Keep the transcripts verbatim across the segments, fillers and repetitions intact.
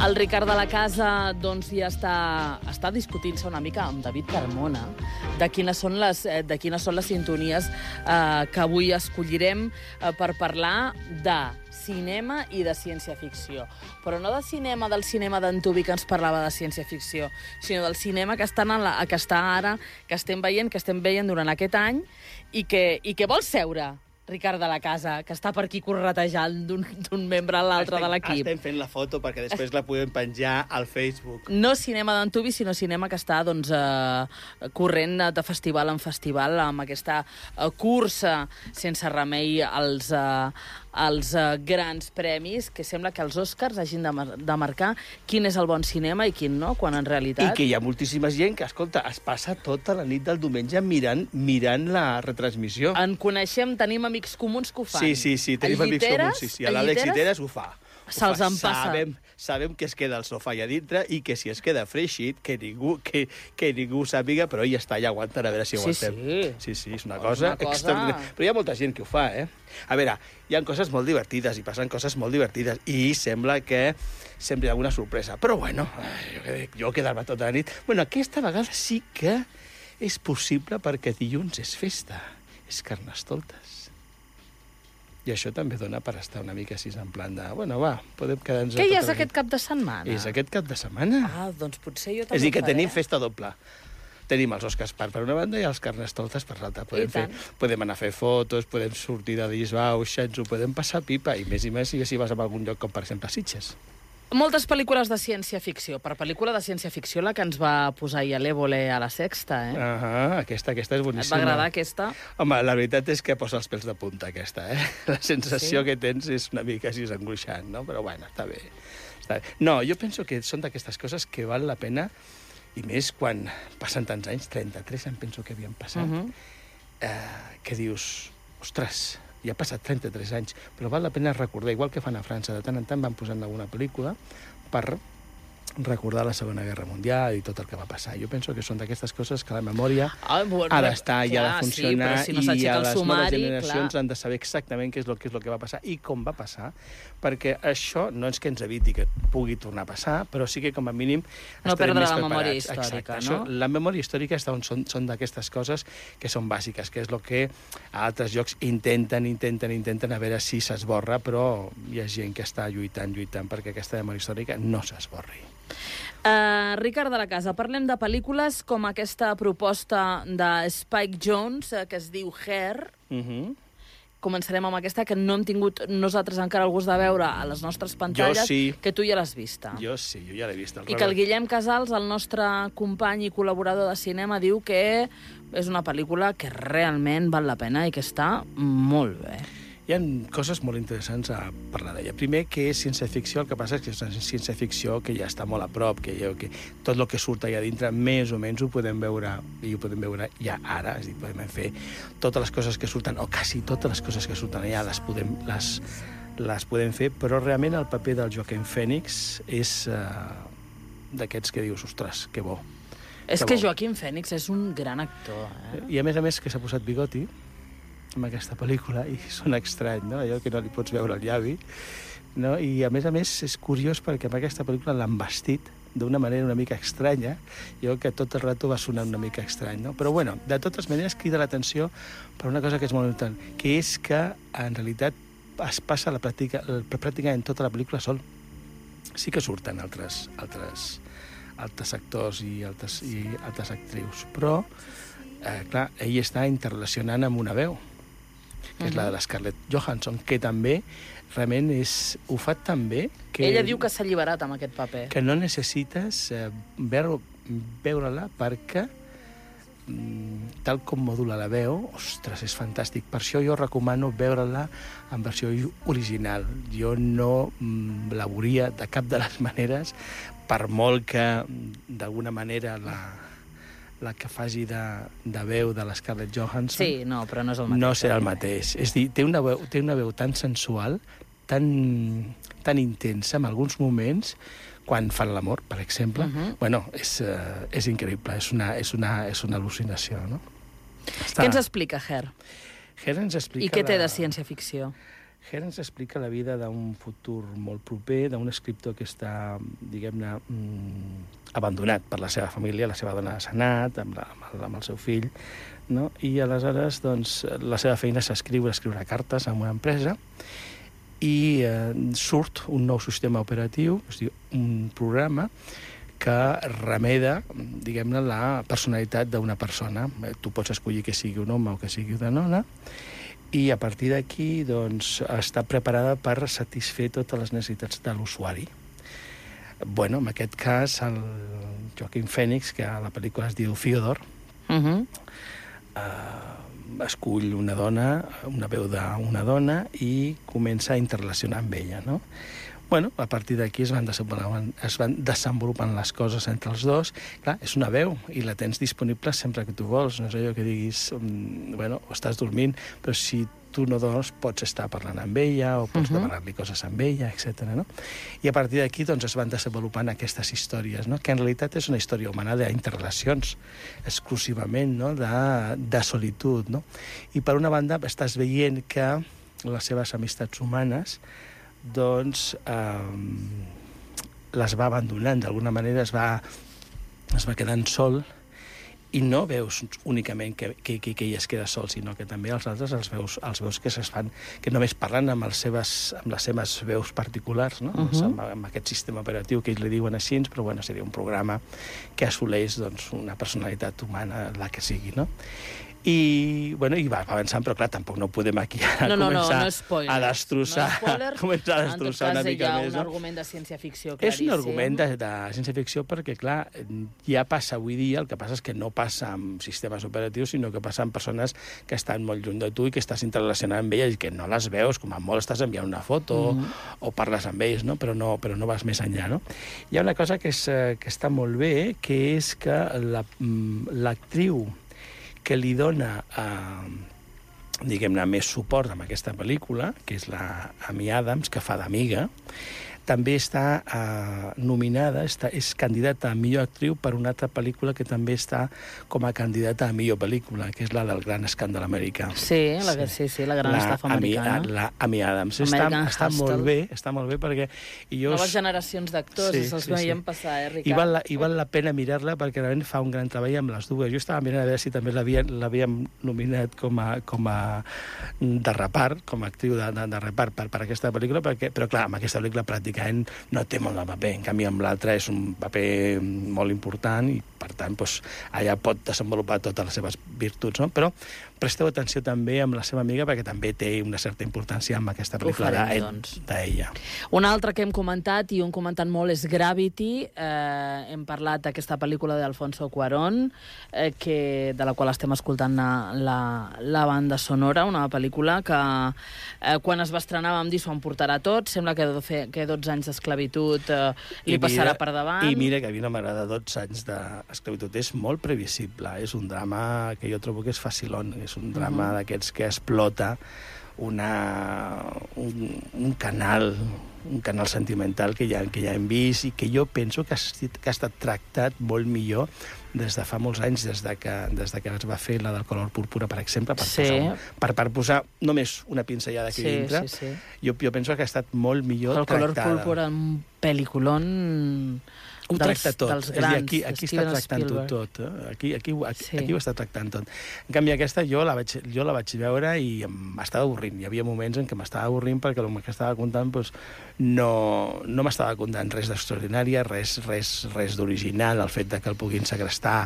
El Ricard de la Casa doncs, ja està, està discutint-se una mica amb David Carmona de quines són les, de quines són les sintonies eh, que avui escollirem eh, per parlar de cinema i de ciència-ficció. Però no de cinema del cinema d'Antubi que ens parlava de ciència-ficció, sinó del cinema que, estan en la, que està ara, que estem veient, que estem veient durant aquest any i que, i que vol seure Ricard de la Casa, que està per aquí corretejant d'un membre a l'altre de l'equip. Estem fent la foto perquè després la podem penjar al Facebook. No cinema d'Antubi, sinó cinema que està doncs, eh, corrent de festival en festival amb aquesta eh, cursa sense remei als, eh, als eh, grans premis, que sembla que els Oscars hagin de, mar de marcar quin és el bon cinema i quin no, quan en realitat... I que hi ha moltíssima gent que, escolta, es passa tota la nit del diumenge mirant, mirant la retransmissió. En coneixem, tenim amics comuns que ho fan. Sí, sí, sí, tenim amics comuns. Sí, sí. L'Àlex Lliteres ho fa. Se'ls en passa. Sabem, sabem que es queda al sofà allà dintre i que si es queda freixit, que ningú, que, que ningú sàpiga, però ell està allà aguantant a veure si aguantem. Sí, sí. Sí, sí, és una cosa, una cosa... extraordinària. Però hi ha molta gent que ho fa, eh? A veure, hi ha coses molt divertides i passen coses molt divertides i sembla que sempre hi ha alguna sorpresa. Però bueno, jo, jo quedar-me tota la nit... Bueno, aquesta vegada sí que és possible perquè dilluns és festa. És Carnestoltes. I això també dona per estar una mica així en plan de... Bueno, va, podem quedar-nos... Què hi és aquest cap de setmana? És aquest cap de setmana. Ah, doncs potser jo també És a dir, que faré. tenim festa doble. Tenim els Oscars per, per una banda i els Carnestoltes per l'altra. Podem, fer, podem anar a fer fotos, podem sortir de disbauxa, ens ho podem passar pipa, i més i més si vas a algun lloc com, per exemple, Sitges. Moltes pel·lícules de ciència-ficció. Per pel·lícula de ciència-ficció, la que ens va posar ahir a l'Évole a la Sexta, eh? Ah, aquesta, aquesta és boníssima. Et va agradar aquesta? Home, la veritat és que posa els pèls de punta, aquesta, eh? La sensació sí? que tens és una mica així angoixant, no? Però, bueno, està bé. Està bé. No, jo penso que són d'aquestes coses que val la pena, i més quan passen tants anys, trenta-tres em penso que havien passat, uh -huh. eh, que dius, ostres, ja ha passat trenta-tres anys, però val la pena recordar, igual que fan a França, de tant en tant van posant alguna pel·lícula per recordar la Segona Guerra Mundial i tot el que va passar. Jo penso que són d'aquestes coses que la memòria ah, bueno, ha d'estar i ha de funcionar, sí, si no i a les sumari, noves generacions clar. han de saber exactament què és, el, què és el que va passar i com va passar, perquè això no és que ens eviti que pugui tornar a passar, però sí que com a mínim no estarem perdre més la preparats. memòria històrica, Exacte. no? Això, la memòria històrica són, són, són d'aquestes coses que són bàsiques, que és el que a altres llocs intenten, intenten, intenten a veure si s'esborra, però hi ha gent que està lluitant, lluitant perquè aquesta memòria històrica no s'esborri. Uh, Ricard de la Casa, parlem de pel·lícules com aquesta proposta de Spike Jonze, que es diu Her. Uh -huh. Començarem amb aquesta, que no hem tingut nosaltres encara el gust de veure a les nostres pantalles, jo sí. que tu ja l'has vista. Jo sí, jo ja l'he vista. I que el Guillem Casals, el nostre company i col·laborador de cinema, diu que és una pel·lícula que realment val la pena i que està molt bé. Hi ha coses molt interessants a parlar d'ella. Primer, que és ciència-ficció, el que passa és que és una ciència-ficció que ja està molt a prop, que, ja, que tot el que surt allà dintre, més o menys ho podem veure, i ho podem veure ja ara, és a dir, podem fer totes les coses que surten, o quasi totes les coses que surten allà les podem, les, les podem fer, però realment el paper del Joaquin Phoenix és uh, d'aquests que dius, ostres, que bo. És que, que bo. Joaquin Phoenix és un gran actor, eh? I a més a més que s'ha posat bigoti amb aquesta pel·lícula, i sona estrany, no? Allò que no li pots veure el llavi, no? I a més a més és curiós perquè amb aquesta pel·lícula l'han vestit d'una manera una mica estranya, jo que tot el rato va sonar una mica estrany, no? Però bueno, de totes maneres crida l'atenció per una cosa que és molt important, que és que en realitat es passa la pràctica, pràcticament tota la pel·lícula sol. Sí que surten altres, altres, altres actors i altres, i altres actrius, però eh, clar, ell està interrelacionant amb una veu, que és la de la Scarlett Johansson, que també realment és, ho fa tan bé que... Ella diu que s'ha alliberat amb aquest paper. Que no necessites eh, veure, veure-la perquè tal com modula la veu, ostres, és fantàstic. Per això jo recomano veure-la en versió original. Jo no mm, la veuria de cap de les maneres, per molt que d'alguna manera la... la que faci de, de veu de la Scarlett Johansson... Sí, no, però no és el mateix. No serà el mateix. És dir, té una veu, té una veu tan sensual, tan, tan intensa en alguns moments, quan fan l'amor, per exemple. Uh -huh. Bueno, és, uh, és increïble, és una, és una, és una al·lucinació, no? Està... Què ens explica Her? Her ens explica... I què té la... de ciència-ficció? Her ens explica la vida d'un futur molt proper, d'un escriptor que està, diguem-ne, mm, abandonat per la seva família, la seva dona s'ha anat, amb, la, amb, el, amb el seu fill, no? I aleshores doncs, la seva feina és escriure, escriure cartes en una empresa, i eh, surt un nou sistema operatiu, és a dir, un programa que remeda, diguem-ne, la personalitat d'una persona. Tu pots escollir que sigui un home o que sigui una dona, i a partir d'aquí doncs, està preparada per satisfer totes les necessitats de l'usuari. Bueno, en aquest cas, el Joaquin Phoenix, que a la pel·lícula es diu Fyodor, uh-huh. eh, escull una dona, una veu d'una dona, i comença a interrelacionar amb ella, no? Bueno, a partir d'aquí es van desenvolupant, es van desenvolupant les coses entre els dos. Clar, és una veu i la tens disponible sempre que tu vols. No és allò que diguis, bueno, estàs dormint, però si tu no dors pots estar parlant amb ella o pots uh-huh. demanar-li coses amb ella, etcètera. No? I a partir d'aquí doncs, es van desenvolupant aquestes històries, no? Que en realitat és una història humana d'interrelacions, exclusivament, no? de, de solitud. No? I per una banda estàs veient que les seves amistats humanes doncs eh, les va abandonant, d'alguna manera es va, es va quedant sol, i no veus únicament que, que, que, que ella es queda sol, sinó que també els altres els veus, els veus que es fan, que només parlen amb, els seves, amb les seves veus particulars, no? Uh-huh. amb, amb aquest sistema operatiu que ells li diuen així, però bueno, seria un programa que assoleix doncs, una personalitat humana, la que sigui, no? I, bueno, i va avançant, però clar, tampoc no podem aquí ara no, no, començar no, no spoiler, a destrossar, no spoiler, començar a destrossar una mica més. En tot cas, hi ha més. un No? argument de ciència-ficció claríssim. És un claríssim. argument de, de ciència-ficció perquè, clar, ja passa avui dia, el que passa és que no passa amb sistemes operatius, sinó que passa amb persones que estan molt lluny de tu i que estàs interrelacionant amb elles i que no les veus, com a molt estàs enviant una foto mm-hmm. o, o parles amb ells, no? Però, no, però no vas més enllà. No? Hi ha una cosa que, és, que està molt bé, que és que la, l'actriu que li dona, eh, diguem-ne, més suport amb aquesta pel·lícula, que és la Amy Adams, que fa d'amiga, també està eh, nominada, està, és candidata a millor actriu per una altra pel·lícula que també està com a candidata a millor pel·lícula, que és la del Gran Escàndol Americà. Sí, la, sí. sí, sí, la Gran Estafa Americana. Amy, la Amy Adams. Està, està molt bé, està molt bé perquè... Jo... Noves generacions d'actors, sí, els sí, veiem sí. passar, eh, Ricard? I val, la, I val la pena mirar-la perquè realment fa un gran treball amb les dues. Jo estava mirant a veure si també l'havíem nominat com a, com a de repart, com a actriu de, de, de repart per, per aquesta pel·lícula, perquè, però clar, amb aquesta pel·lícula pràcticament no té molt de paper. En canvi, amb l'altre és un paper molt important i, per tant, doncs, allà pot desenvolupar totes les seves virtuts. No? Però presteu atenció també amb la seva amiga perquè també té una certa importància amb aquesta pel·lícula d'ella. Doncs. Una altra que hem comentat i un comentant molt és Gravity. Eh, hem parlat d'aquesta pel·lícula d'Alfonso Cuarón, eh, que, de la qual estem escoltant la, la, la banda sonora, una pel·lícula que eh, quan es va estrenar vam dir s'ho emportarà tot, sembla que, fe, que dotze anys d'esclavitud eh, li mira, passarà per davant. I mira que a mi no m'agrada dotze anys d'esclavitud, és molt previsible, és un drama que jo trobo que és facilón, és un drama uh-huh. d'aquests que explota una, un, un canal un canal sentimental que ja, que ja hem vist i que jo penso que ha, que ha estat tractat molt millor des de fa molts anys, des de que, des de que es va fer la del color púrpura, per exemple, per, sí. posar, per, per posar només una pinzellada aquí sí, dintre, sí, sí. Jo, jo penso que ha estat molt millor el tractada. El color púrpura, un pel·lículon... Ho tracta tot, dels és a dir, aquí, aquí està tractant-ho tot, eh? aquí, aquí, aquí, sí. aquí ho està tractant tot. En canvi, aquesta jo la vaig, jo la vaig veure i m'estava avorrint. Hi havia moments en què m'estava avorrint perquè el que estava contant doncs, no, no m'estava contant res d'extraordinari, res, res, res d'original, el fet de que el puguin segrestar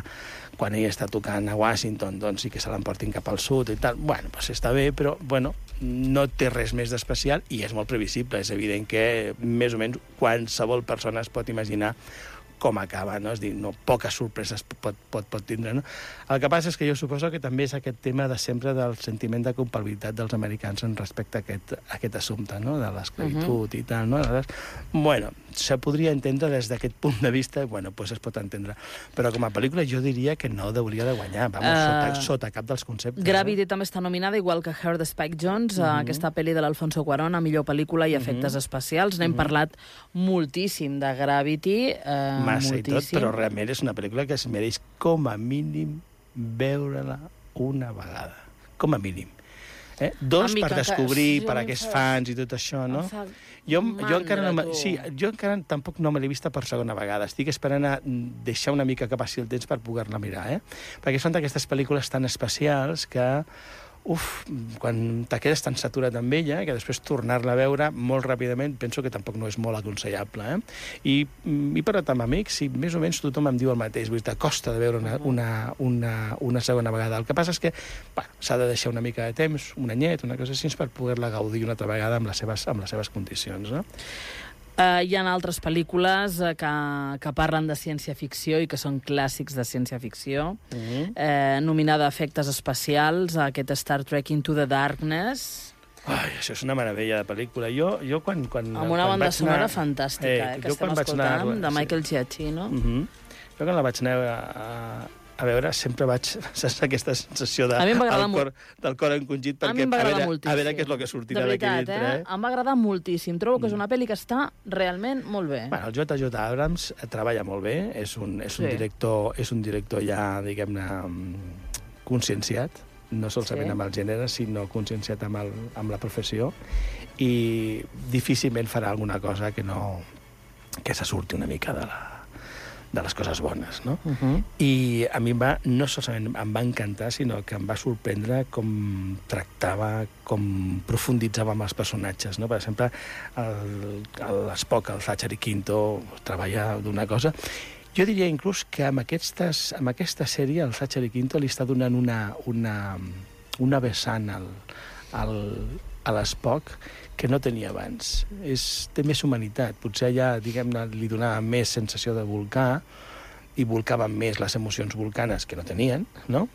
quan ell està tocant a Washington, doncs sí que se l'emportin cap al sud i tal. Bueno, doncs està bé, però bueno, no té res més d'especial i és molt previsible. És evident que més o menys qualsevol persona es pot imaginar com acaba, no? És dir, no, poques sorpreses pot, pot, pot tindre, no? El que passa és que jo suposo que també és aquest tema de sempre del sentiment de culpabilitat dels americans en respecte a aquest, a aquest assumpte, no? De l'esclavitud uh-huh. i tal, no? Aleshores, bueno, se podria entendre des d'aquest punt de vista, bueno, pues es pot entendre. Però com a pel·lícula jo diria que no hauria de guanyar, vamos, uh, sota, sota cap dels conceptes. Gravity no? també està nominada, igual que Her de Spike Jonze, uh-huh. aquesta pel·li de l'Alfonso Cuarón, a millor pel·lícula i efectes uh-huh. especials. N'hem uh-huh. parlat moltíssim de Gravity, eh, massa moltíssim. I tot, però realment és una pel·lícula que es mereix com a mínim veure-la una vegada. Com a mínim. Eh? Dos, Amic, per encara- descobrir, sí, per a mi em aquests fa- fans i tot això, no? em fa Jo, jo encara no... mandra, me- tu. Sí, jo encara tampoc no me l'he vista per segona vegada. Estic esperant a deixar una mica que passi el temps per poder-la mirar, eh? Perquè són d'aquestes pel·lícules tan especials que... Uf, quan te quedes tan saturat amb ella, que després tornar-la a veure molt ràpidament, penso que tampoc no és molt aconsellable. Eh? I, I per amb amics, sí, més o menys tothom em diu el mateix, vull dir, costa de veure una, una, una, una segona vegada. El que passa és que s'ha de deixar una mica de temps, un anyet, una cosa així, per poder-la gaudir una altra vegada amb les seves, amb les seves condicions. No? Uh, hi ha altres pel·lícules uh, que, que parlen de ciència-ficció i que són clàssics de ciència-ficció. Mm-hmm. uh, nominada a efectes especials, a aquest Star Trek Into the Darkness, Ai, això és una meravella de pel·lícula. Jo, jo quan, quan, amb una quan banda vaig sonora anar... fantàstica, eh, eh, que jo quan estem vaig escoltant, anar- de Michael sí. Giacchino. Mm-hmm. Jo quan la vaig anar a, a, a veure sempre vaig... Saps aquesta sensació de, A mi em va agradar el cor, del cor encongit A mi perquè em va a, agradar veure, moltíssim. a veure què és el que sortirà De d'aquí veritat, dintre. eh? Em va agradar moltíssim. Trobo que és una pel·li que està realment molt bé. Bueno, el J J Abrams treballa molt bé, és un, és un, Sí. director, és un director ja, diguem-ne, conscienciat, no solament Sí. amb el gènere, sinó conscienciat amb, el, amb la professió, i difícilment farà alguna cosa que no que se surti una mica de, la, de les coses bones, no? Uh -huh. I a mi em va, no solament em va encantar, sinó que em va sorprendre com tractava, com profunditzava amb els personatges, no? Per exemple, l'Spock, el Zachary Quinto, treballa d'una cosa... Jo diria inclús que amb, aquestes, amb aquesta sèrie el Zachary Quinto li està donant una, una, una vessant al, al, a l'Spock que no tenia abans. És, té més humanitat. Potser allà, diguem-ne, li donava més sensació de volcà i volcaven més les emocions volcanes que no tenien, no?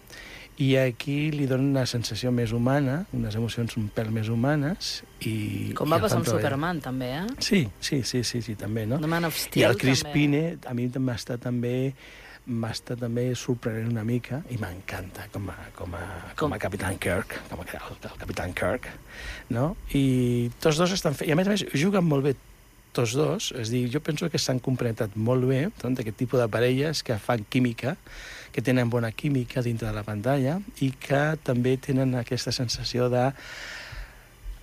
I aquí li dona una sensació més humana, unes emocions un pèl més humanes. I, Com i va el passar fan amb treballar. Superman, també, eh? Sí, sí, sí, sí, sí també, no? The Man of I Steel, el Chris també. Pine, a mi m'està també m'està també sorprenent una mica i m'encanta com a, com a, com a Capitán Kirk, com a, el, el Capitán Kirk, no? I tots dos estan fent... I a més a més juguen molt bé tots dos, és a dir, jo penso que s'han complementat molt bé, doncs, aquest tipus de parelles que fan química, que tenen bona química dintre de la pantalla i que també tenen aquesta sensació de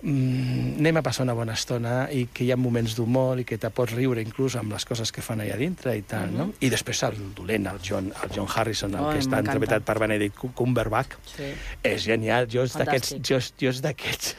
mm, anem a passar una bona estona i que hi ha moments d'humor i que te pots riure inclús amb les coses que fan allà dintre i tal, uh -huh. no? I després el dolent, el John, el John Harrison, el Ai, que està m'encanta. interpretat per Benedict Cumberbatch, Sí. és genial. Jo és d'aquests... Fantàstic. Jo, jo és d'aquests...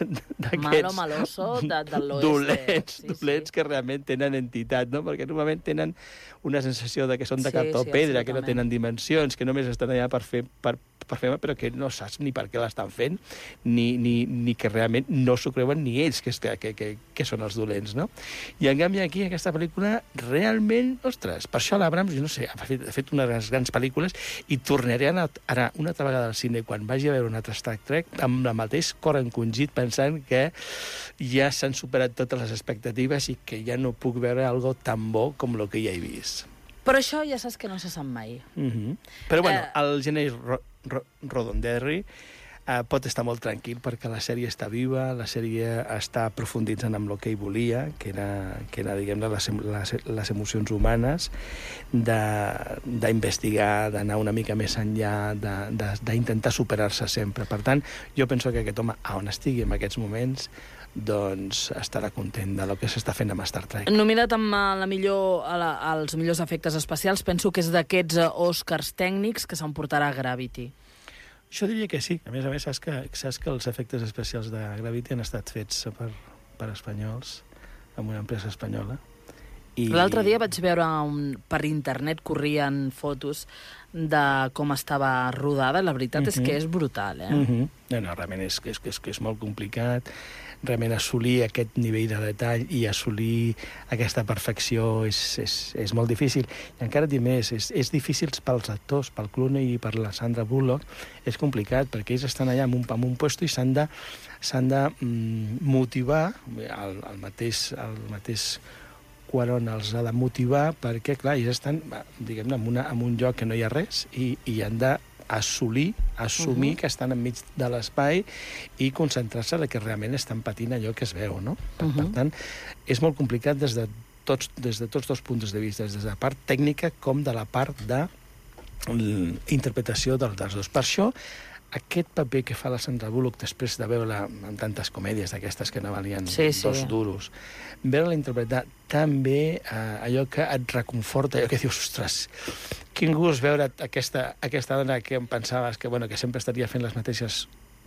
Malo maloso de, de l'oeste. Dolents, Sí, dolents sí. que realment tenen entitat, no? Perquè normalment tenen una sensació de que són de Sí, cartó sí, pedra, que no absolutament. tenen dimensions, que només estan allà per fer, per, per fer però que no saps ni per què l'estan fent, ni, ni, ni que realment no s'ho creuen ni ells, que, és, que, que, que, que són els dolents, no? I en canvi aquí, aquesta pel·lícula, realment, ostres, per això l'Abrams, jo no sé, ha fet, ha fet unes grans, grans pel·lícules i tornaré a anar, anar una altra vegada al cine quan vagi a veure un altre Star Trek amb el mateix cor encongit pensant que ja s'han superat totes les expectatives i que ja no puc veure algo tan bo com el que ja he vist. Però això ja saps que no se sap mai. Mm -hmm. Però, bueno, Eh. el Geneix Ro Ro Roddenberry eh, pot estar molt tranquil perquè la sèrie està viva, la sèrie està profunditzant amb el que ell volia, que era, que era diguem-ne, les, les, les emocions humanes, d'investigar, d'anar una mica més enllà, d'intentar superar-se sempre. Per tant, jo penso que aquest home, a on estigui en aquests moments, doncs estarà content de lo que s'està fent amb Star Trek. Nominat amb eh, la millor, a la, als millors efectes especials, penso que és d'aquests eh, Oscars tècnics que s'emportarà Gravity. Jo diria que sí. A més a més, saps que, saps que els efectes especials de Gravity han estat fets per, per espanyols, amb una empresa espanyola. I... L'altre dia vaig veure un, per internet corrien fotos de com estava rodada. La veritat uh-huh. és que és brutal, eh? Uh-huh. No, no, realment és, és, és, és molt complicat. Realment assolir aquest nivell de detall i assolir aquesta perfecció és, és, és molt difícil. I encara et dic més, és, és difícil pels actors, pel Clooney i per la Sandra Bullock, és complicat, perquè ells estan allà en un, en un puesto i s'han de, s'han de mm, motivar, el, el mateix, el mateix Cuarón els ha de motivar perquè, clar, ells estan, diguem-ne, en, una, en un lloc que no hi ha res i, i han de assolir, assumir uh-huh. que estan enmig de l'espai i concentrar-se en que realment estan patint allò que es veu, no? Per, uh-huh. per tant, és molt complicat des de tots, des de tots dos punts de vista, des de la part tècnica com de la part de l'interpretació dels, dels dos. Per això, aquest paper que fa la Sandra Bullock després de veure-la en tantes comèdies d'aquestes que no valien sí, sí. dos duros, veure-la interpretar tan bé eh, allò que et reconforta, allò que dius, ostres, quin gust veure aquesta, aquesta dona que em pensaves que, bueno, que sempre estaria fent les mateixes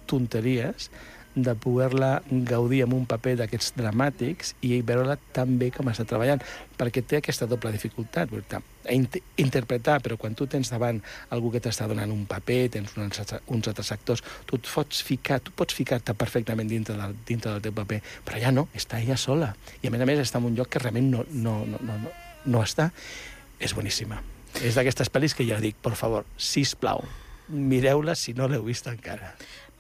tonteries, de poder-la gaudir amb un paper d'aquests dramàtics i veure-la tan bé com està treballant, perquè té aquesta doble dificultat, interpretar, però quan tu tens davant algú que t'està donant un paper, tens uns, uns altres actors, tu et pots ficar, tu pots ficar-te perfectament dintre del, dintre del teu paper, però ja no, està ella sola. I a més a més està en un lloc que realment no, no, no, no, no, no està. És boníssima. És d'aquestes pel·lis que ja dic, per favor, sisplau, mireu-la si no l'heu vist encara.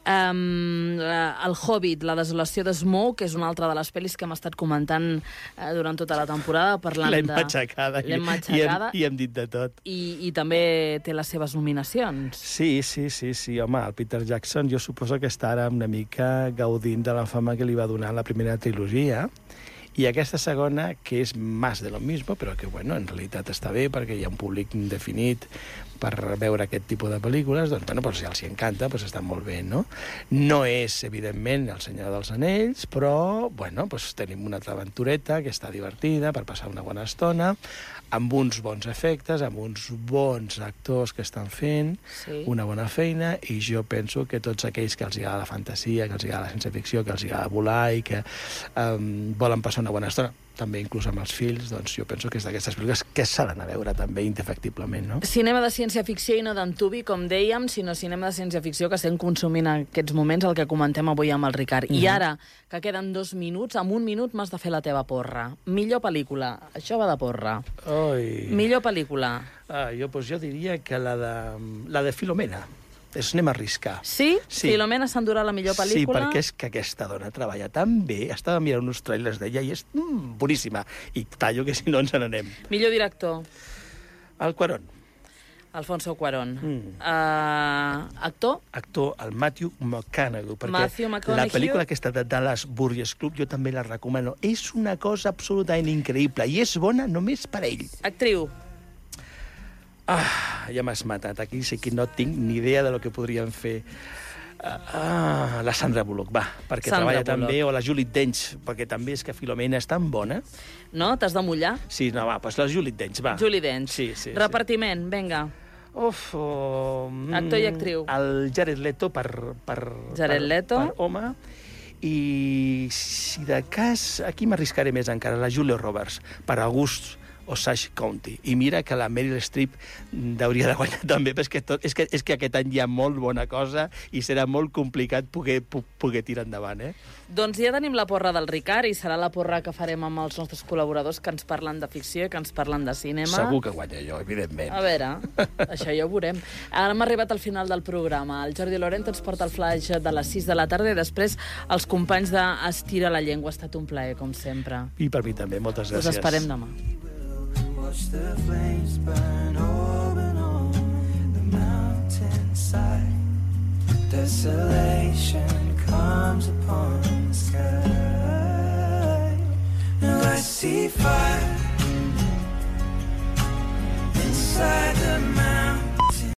Um, el Hobbit, la desolació de Smaug, que és una altra de les pel·lis que hem estat comentant uh, durant tota la temporada, parlant de... L'hem matxacada, L'hem i, matxacada i, hem, i hem dit de tot. I, i també té les seves nominacions. Sí, sí, sí, sí, home, el Peter Jackson jo suposo que està ara una mica gaudint de la fama que li va donar la primera trilogia, i aquesta segona, que és més de lo mismo, però que, bueno, en realitat està bé perquè hi ha un públic definit per veure aquest tipus de pel·lícules, doncs, bueno, doncs, si els hi encanta, doncs està molt bé, no? No és, evidentment, El Senyor dels Anells, però, bueno, doncs tenim una altra aventureta que està divertida per passar una bona estona, amb uns bons efectes, amb uns bons actors que estan fent sí. una bona feina, i jo penso que tots aquells que els agrada la fantasia, que els agrada la ciència-ficció, que els agrada volar i que um, volen passar una bona estona, també inclús amb els fills, doncs jo penso que és d'aquestes pel·lícules que s'ha d'anar a veure també indefectiblement, no? Cinema de ciència-ficció i no d'antubi, com dèiem, sinó cinema de ciència-ficció que estem consumint en aquests moments, el que comentem avui amb el Ricard. Mm-hmm. I ara, que queden dos minuts, en un minut m'has de fer la teva porra. Millor pel·lícula. Això va de porra. Oi. Millor pel·lícula. Ah, jo, doncs jo diria que la de, la de Filomena. Es anem a arriscar. Sí? sí? Filomena s'endurà la millor pel·lícula? Sí, perquè és que aquesta dona treballa tan bé. Estava mirant uns trailers d'ella i és mm, boníssima. I tallo, que si no ens n'anem. Millor director? El Cuarón. Alfonso Cuarón. Mm. Uh, actor? Actor, el Matthew McConaughey. Perquè Matthew McConaughey. La pel·lícula aquesta de Dallas Buyers Club jo també la recomano. És una cosa absolutament increïble i és bona només per ell. Actriu? Ah, ja m'has matat. Aquí sí que no tinc ni idea de lo que podríem fer. Ah, la Sandra Bullock, va, perquè Sandra treballa Bullock. tan bé, o la Julie Dench, perquè també és que Filomena és tan bona. No? T'has de mullar? Sí, no, va, doncs la Julie Dench, va. Julie Dench. Sí, sí, Repartiment, sí. Vinga. Uf, oh, actor i actriu. El Jared Leto per, per, Jared per, Leto. per home. I si de cas, aquí m'arriscaré més encara, la Julia Roberts, per August Osage County. I mira que la Meryl Streep hauria de guanyar també, perquè tot, és, que, és que aquest any hi ha molt bona cosa i serà molt complicat poder, poder tirar endavant, eh? Doncs ja tenim la porra del Ricard i serà la porra que farem amb els nostres col·laboradors que ens parlen de ficció i que ens parlen de cinema. Segur que guanya jo, evidentment. A veure, això ja ho veurem. Ara hem arribat al final del programa. El Jordi Lorente ens porta el flash de les sis de la tarda i després els companys d'Estira la Llengua. Ha estat un plaer, com sempre. I per mi també, moltes gràcies. Us esperem demà. Watch the flames burn open on the mountainside. Desolation comes upon the sky. Now I see fire.